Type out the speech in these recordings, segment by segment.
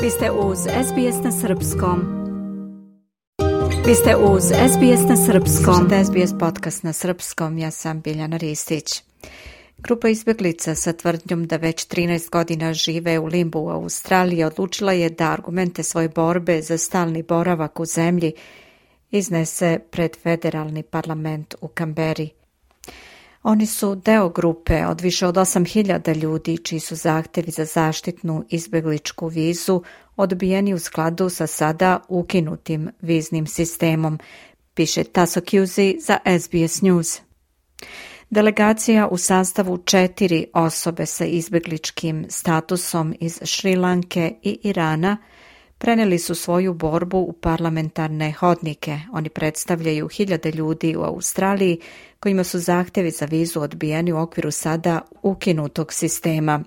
Vi ste uz SBS na Srpskom. Vi ste uz SBS na Srpskom. Slušajte SBS podcast na Srpskom, ja sam Biljana Ristić. Grupa izbjeglica sa tvrdnjom da već 13 godina žive u limbu u Australiji odlučila je da argumente svoje borbe za stalni boravak u zemlji iznese pred federalni parlament u Kamberi. Oni su deo grupe od više od 8.000 ljudi čiji su zahtjevi za zaštitnu izbjegličku vizu odbijeni u skladu sa sada ukinutim viznim sistemom, piše Tasso Cusi za SBS News. Delegacija u sastavu 4 osobe sa izbjegličkim statusom iz Šri Lanke i Irana prenijeli su svoju borbu u parlamentarne hodnike. Oni predstavljaju hiljade ljudi u Australiji kojima su zahtjevi za vizu odbijeni u okviru sada ukinutog sistema.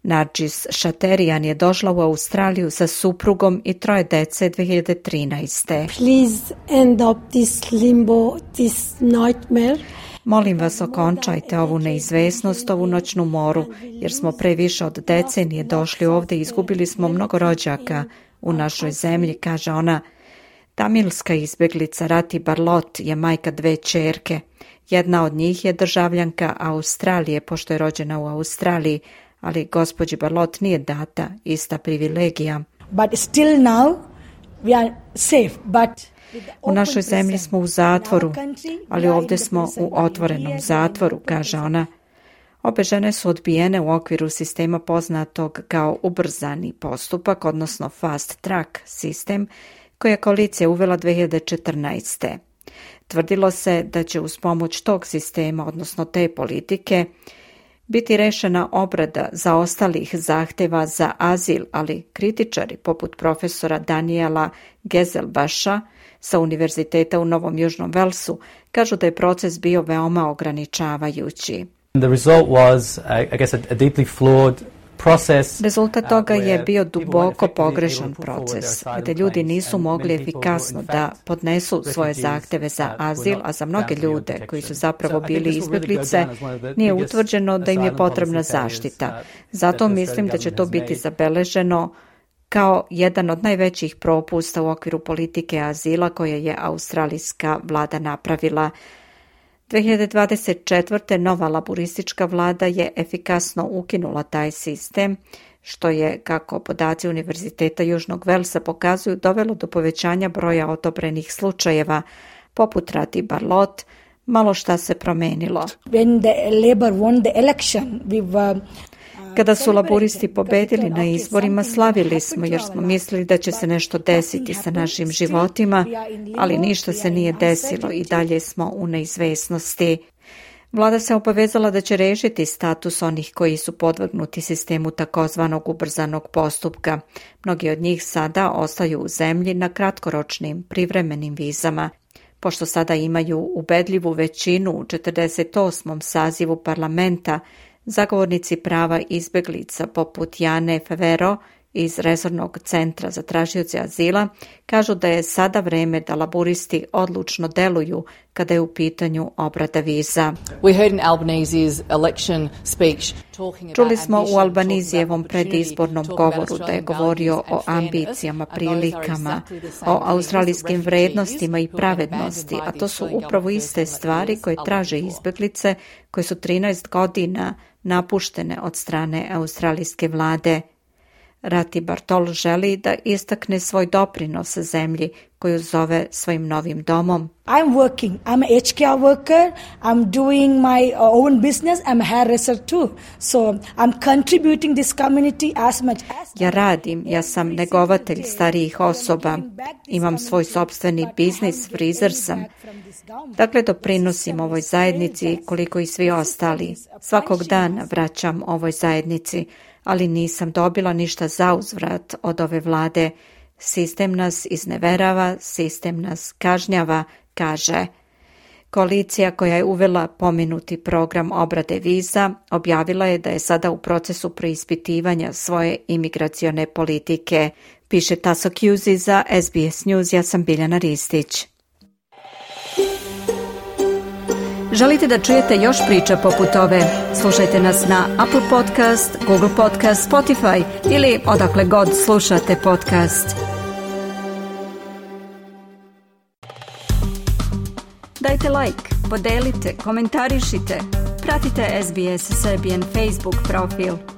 Nargis Šaterijan je došla u Australiju sa suprugom i 3 dece 2013. Please end up this limbo, this nightmare. Molim vas, okončajte ovu neizvesnost, ovu noćnu moru, jer smo pre više od decenije došli ovdje i izgubili smo mnogo rođaka u našoj zemlji, kaže ona. Tamilska izbjeglica Rati Barlot je majka 2 ćerke. Jedna od njih je državljanka Australije, pošto je rođena u Australiji, ali gospođi Barlot nije data ista privilegija. But still now we are safe, but u našoj zemlji smo u zatvoru, ali ovdje smo u otvorenom zatvoru, kaže ona. Obe žene su odbijene u okviru sistema poznatog kao ubrzani postupak, odnosno fast track sistem, koji je koalicija uvela 2014. Tvrdilo se da će uz pomoć tog sistema, odnosno te politike, biti rešena obrada zaostalih zahtjeva za azil, ali kritičari poput profesora Daniela Gezelbaša sa Univerziteta u Novom Južnom Velsu kažu da je proces bio veoma ograničavajući. The result was, I guess, a deeply flawed process. Rezultat toga je bio duboko pogrešan proces, gdje ljudi nisu mogli efikasno da podnesu svoje zahtjeve za azil, a za mnoge ljude koji su zapravo bili izbjeglice nije utvrđeno da im je potrebna zaštita. Zato mislim da će to biti zabeleženo kao jedan od najvećih propusta u okviru politike azila koje je australijska vlada napravila. 2024. nova laboristička vlada je efikasno ukinula taj sistem, što je, kako podaci Univerziteta Južnog Velsa pokazuju, dovelo do povećanja broja odobrenih slučajeva. Poput Rati Barlot, malo šta se promenilo. When the Labour won the election, we were Kada su laboristi pobedili na izborima, slavili smo jer smo mislili da će se nešto desiti sa našim životima, ali ništa se nije desilo i dalje smo u neizvesnosti. Vlada se obavezala da će rešiti status onih koji su podvrgnuti sistemu takozvanog ubrzanog postupka. Mnogi od njih sada ostaju u zemlji na kratkoročnim privremenim vizama. Pošto sada imaju ubedljivu većinu u 48. sazivu parlamenta, zagovornici prava izbjeglica poput Jane Favero iz Resornog centra za tražioce azila kažu da je sada vreme da laboristi odlučno deluju kada je u pitanju obrada viza. Čuli smo u Albanizijevom predizbornom govoru da je govorio o ambicijama, prilikama, o australijskim vrednostima i pravednosti, a to su upravo iste stvari koje traže izbjeglice koje su 13 godina napuštene od strane australijske vlade. Rati Bartol želi da istakne svoj doprinos zemlji koju zove svojim novim domom. I'm working. I'm a HKR worker. I'm doing my own business. I'm a hairdresser too. So I'm contributing this community as much as Ja radim, ja sam negovatelj starijih osoba. Imam svoj sopstveni biznis, frizer sam. Dakle, doprinosim ovoj zajednici koliko i svi ostali. Svakog dana vraćam ovoj zajednici, ali nisam dobila ništa zauzvrat od ove vlade. Sistem nas izneverava, sistem nas kažnjava, kaže. Koalicija koja je uvela pomenuti program obrade viza objavila je da je sada u procesu preispitivanja svoje imigracione politike, piše Tasso Cusi za SBS News. Ja sam Biljana Ristić. Želite da čujete još priča poput ove? Slušajte nas na Apple Podcast, Google Podcast, Spotify ili odakle god slušate podcast. Dajte like, podelite, komentarišite. Pratite SBS Serbian Facebook profil.